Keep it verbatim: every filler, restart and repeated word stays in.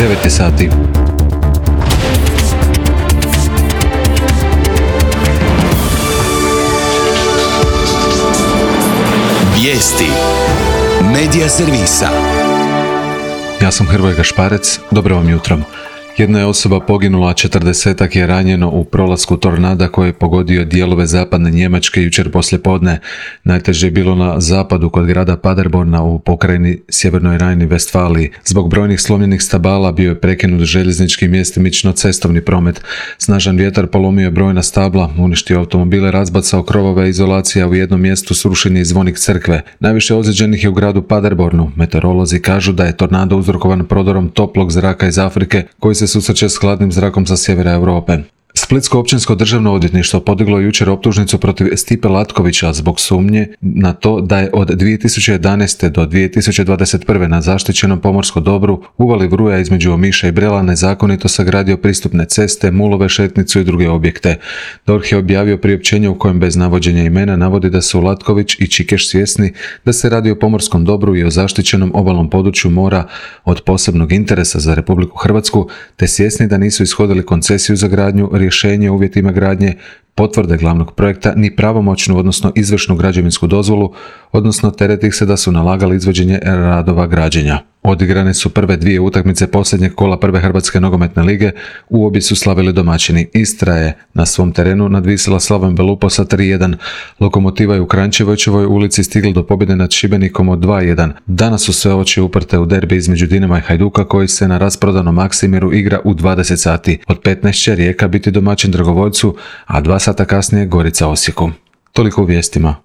devet je sati. Vijesti Medija servisa. Ja sam Hrvoje Gašparec, dobro vam jutro. Jedna je osoba poginula, a četrdesetak je ranjeno u prolasku tornada koji je pogodio dijelove zapadne Njemačke jučer poslijepodne. Najteže je bilo na zapadu kod grada Paderborna u pokrajini Sjevernoj Rajni-Vestfaliji. Zbog brojnih slomljenih stabala bio je prekinut željeznički i mjestimično cestovni promet. Snažan vjetar polomio je brojna stabla, uništio automobile, razbacao krovove, izolacija u jednom mjestu, srušen je i zvonik crkve. Najviše ozlijeđenih je u gradu Paderbornu. Meteorolozi kažu da je tornado uzrokovan prodorom toplog zraka iz Afrike koji se susreće s hladnim zrakom sa sjevera Europe. Splitsko općinsko državno odvjetništvo podiglo je jučer optužnicu protiv Stipe Latkovića zbog sumnje na to da je od dvije tisuće jedanaeste do dvije tisuće dvadeset prve na zaštićenom pomorskom dobru uvali Vruja između Omiša i Brela nezakonito sagradio pristupne ceste, mulove, šetnicu i druge objekte. D O R H je objavio priopćenje u kojem bez navođenja imena navodi da su Latković i Čikeš svjesni da se radi o pomorskom dobru i o zaštićenom obalnom području mora od posebnog interesa za Republiku Hrvatsku, te svjesni da nisu ishodili koncesiju za gradnju, rješenje o uvjetima gradnje, potvrde glavnog projekta ni pravomoćnu, odnosno izvršnu građevinsku dozvolu, odnosno tereti ih se da su nalagali izvođenje radova građenja. Odigrane su prve dvije utakmice posljednjeg kola prve Hrvatske nogometne lige, u obje su slavili domaćini. Istra je na svom terenu nadvisila Slavom Belupo sa tri jedan. Lokomotiva je u Kranjčevićevoj ulici stigla do pobjede nad Šibenikom od dva jedan. Danas su sve oči uprte u derbi između Dinama i Hajduka koji se na rasprodanom Maksimiru igra u dvadeset sati. Od petnaest će Rijeka biti domaćin Dragovoljcu, a dva sata kasnije Gorica Osijeku. Toliko u vijestima.